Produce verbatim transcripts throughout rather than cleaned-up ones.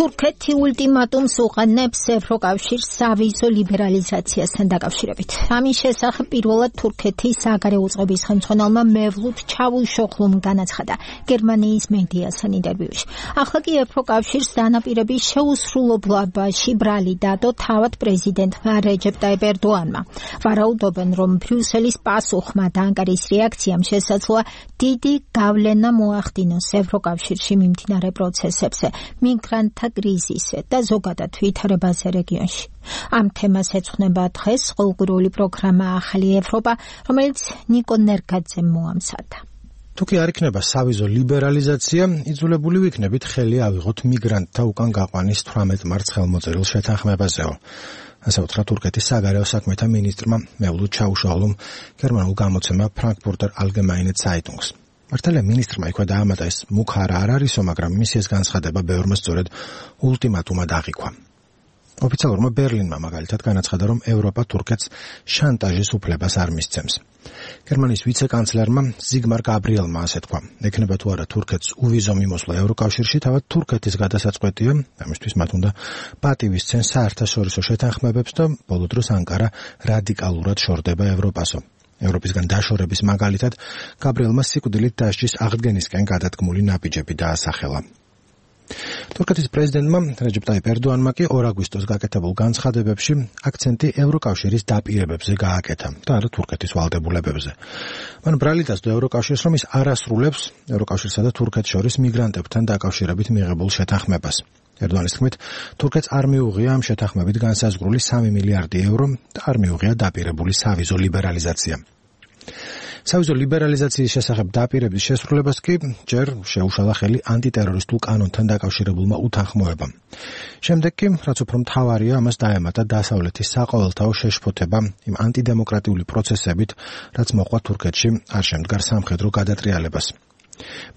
თურქეთი ულტიმატუმს უყენებს ევროკავშირის სავიზო ლიბერალიზაციასთან დაკავშირებით. ამის შესახებ პირველად თურქეთის საგარეო უწყების ხელმძღვანელმა მევლութ ჩავუშოღლუმ განაცხადა გერმანიის მედიასთან ინტერვიუში. ახლა კი ევროკავშირის დანაპირების შეუსრულებლობაში ბრალი დადო თავად პრეზიდენტმა რეჯეპ ტაიპ ერდოანმა. ვარაუდობენ, რომ ბრიუსელის პასუხმა და ანკარის რეაქციამ შესაძლოა დიდი გავლენა მოახდინოს ევროკავშირში მიმდინარე პროცესებზე, მიგრანტთა კრიზისზე და ზოგადად ვითარებაზე რეგიონში. ამ თემას ეძღვნება დღეს ყოველკვირეული პროგრამა ახალი ევროპა, რომელიც ნიკო ნერგაძემ მოამზადა. თუ კი არ იქნება სავიზო ლიბერალიზაცია, იძულებული ვიქნებით ხელი ავიღოთ მიგრანტთა უკან გაყვანის თვრამეტ მარტს ხელმოწერილ შეთანხმებაზეო. ასე უთხრა თურქეთის საგარეო საქმეთა მინისტრმა მევლութ ჩავუშოღლუმ გერმანულ გამოცემა ფრანკფურტერ ალგემაინე ცაიტუნგს. მართალია მინისტრმა იქვე დაამატა ეს მუქარა არ არისო, მაგრამ მისი ეს განცხადება ბევრმა სწორედ ულტიმატუმად აღიქვა. ოფიციალურმა ბერლინმა მაგალითად განაცხადა, რომ ევროპა თურქეთს შანტაჟის უფლებას არ მისცემს. გერმანიის ვიცე-კანცლერმა ზიგმარ გაბრიელმა ასე თქვა: ექნება თუ არა თურქეთს უვიზო მიმოსვლა ევროკავშირში, თავად თურქეთის გადასაწყვეტია, ამისთვის მათ უნდა პატივისცენ საერთაშორისო შეთანხმებებს და ბოლო დროს ანკარა რადიკალურად შორდება ევროპასო. ევროპისგან დაშორების მაგალითად გაბრიელმა სიკვდილით დასჯის აღდგენისკენ გადადგმული ნაბიჯები დაასახელა. თურქეთის პრეზიდენტმა რეჯეპ ტაიპ ერდოანმა კი ორ აგვისტოს გაკეთებულ განცხადებებში აქცენტი ევროკავშირის დაპირებებზე გააკეთა და არა თურქეთის ვალდებულებებზე. მან ბრალი დასდო ევროკავშირს, რომ ის არ ასრულებს ევროკავშირსა და თურქეთს შორის მიგრანტებთან დაკავშირებით მიღებულ შეთანხმებას. ერდოანის თქმით, თურქეთს არ მიუღია ამ შეთანხმებით განსაზღვრული სამი მილიარდი ევრო და არ მიუღია დაპირებული სავიზო ლიბერალიზაცია. სავიზო ლიბერალიზაციის შესახებ დაპირების შესრულებას კი ჯერ შეუშალა ხელი ანტიტერორისტულ კანონთან დაკავშირებულმა უთანხმოებამ. შემდეგ კი, რაც უფრო მთავარია, ამას დაემატა დასავლეთის საყოველთაო შეშფოთება იმ ანტიდემოკრატიული პროცესებით, რაც მოყვა თურქეთში არ შემდგარ სამხედრო გადატრიალებას.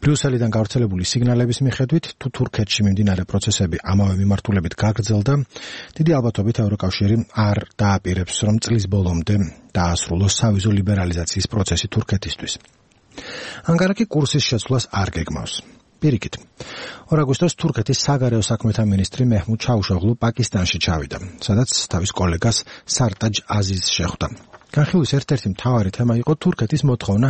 ბრიუსელიდან გავრცელებული სიგნალების მიხედვით, თუ თურქეთში მიმდინარე პროცესები ამავე მიმართულებით გაგრძელდა, დიდი ალბათობით ევროკავშირი არ დააპირებს, რომ წლის ბოლომდე დაასრულოს სავიზო ლიბერალიზაციის პროცესი თურქეთისთვის. ანკარა კი კურსის შეცვლას არ გეგმავს. პირიქით, ორ აგვისტოს თურქეთის საგარეო საქმეთა მინისტრი მეჰმუდ ჩავუშოღლუ პაკისტანში ჩავიდა, სადაც თავის კოლეგას სარტაჯ აზიზს შეხვდა. განხილვის ერთ-ერთი მთავარი თემა იყო თურქეთის მოთხოვნა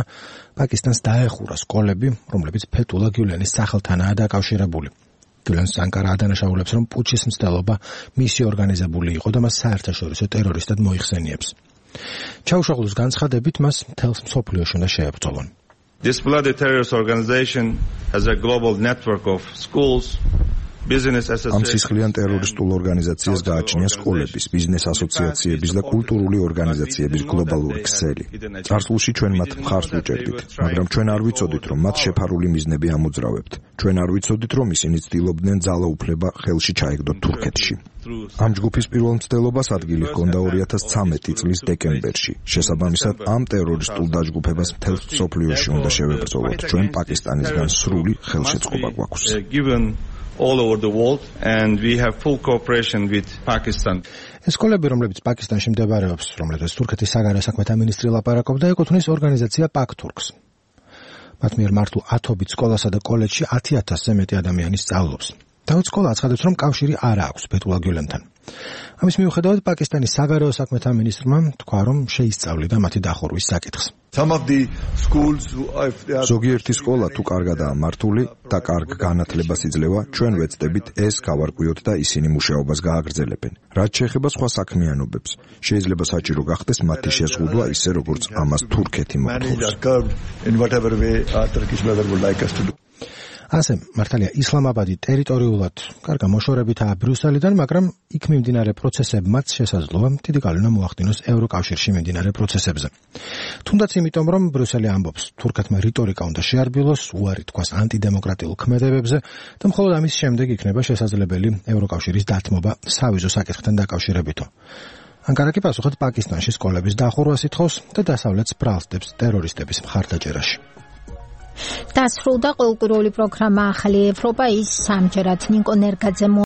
პაკისტანს დაეხურა სკოლები, რომლებიც ფეთულა გიულენის სახელთანაა დაკავშირებული. გიულენს ანკარა ადანაშაულებს, რომ პუჩის მცდელობა მისი ორგანიზებული იყო და მას საერთაშორისო ტერორისტად მოიხსენიებს. ჩავუშოღლუს განცხადებით მას მთელს მსოფლიოში უნდა შეებრძოლონ. This bloody terrorist organization has a global network of schools. ამ სისხლიან ტერორისტულ ორგანიზაციას გააჩნია სკოლების, ბიზნეს ასოციაციების და კულტურული ორგანიზაციების გლობალური ქსელი. წარსულში ჩვენ მათ მხარს ვუჭერდით, მაგრამ ჩვენ არ ვიცოდით, რომ მათ შეფარული მიზნები ამოძრავებთ. ჩვენ არ ვიცოდით, რომ ისინი ცდილობდნენ ძალაუფლება ხელში ჩაეგდოთ თურქეთში. ამ ჯგუფის პირველ მცდელობას ადგილი ჰქონდა ორი ათას ცამეტი წლის დეკემბერში. შესაბამისად, ამ ტერორისტულ დაჯგუფებას მთელ მსოფლიოში უნდა შევებრძოლოთ. ჩვენ პაკისტანისგან სრული ხელშეწყობა გვაქვს. all over the world and we have full cooperation with Pakistan. სკოლები, რომლებიც პაკისტანში მდებარეობს, რომლებიც თურქეთის საგარეო საქმეთა მინისტრი ლაპარაკობდა, ეკუთვნის ორგანიზაცია პაქტურქს. მათ მიერ მართულ ათობით სკოლასა და კოლეჯში ათი ათასზე მეტი ადამიანი სწავლობს. თავად სკოლა აცხადებს, რომ კავშირი არ აქვს ფეთულა გიულენთან. ამის მიუხედავად პაკისტანის საგარეო საქმეთა მინისტრმა თქვა, რომ შეისწავლიდა მათი დახურვის საკითხს. ზოგიერთი სკოლა თუ კარგადაა მართული და კარგ განათლებას იძლევა, ჩვენ ვეცდებით ეს გავარკვიოთ და ისინი მუშაობას გააგრძელებენ. რაც შეეხება სხვა საქმიანობებს, შეიძლება საჭირო გახდეს მათი შეზღუდვა ისე, როგორც ამას თურქეთი მოთხოვს. ასე, მართალია ისლამაბადი ტერიტორიულად კარგა მოშორებითაა ბრიუსელიდან, მაგრამ იქ მიმდინარე პროცესებმაც შესაძლოა დიდი გავლენა მოახდინოს ევროკავშირში მიმდინარე პროცესებზე. თუნდაც იმიტომ, რომ ბრიუსელი ამბობს, თურქეთმა რიტორიკა უნდა შეარბილოს, უარი თქვას ანტიდემოკრატიულ ქმედებებზე და მხოლოდ ამის შემდეგ იქნება შესაძლებელი ევროკავშირის დათმობა სავიზო საკითხთან დაკავშირებითო. ანკარა კი პასუხად პაკისტანში სკოლების დახურვას ითხოვს და დასავლეთს ბრალსდებს ტერორისტების მხარდაჭერაში. დასრულდა ყოველკვირეული პროგრამა ახალი ევროპა, ის სამჯერად ნიკო ნერგაძე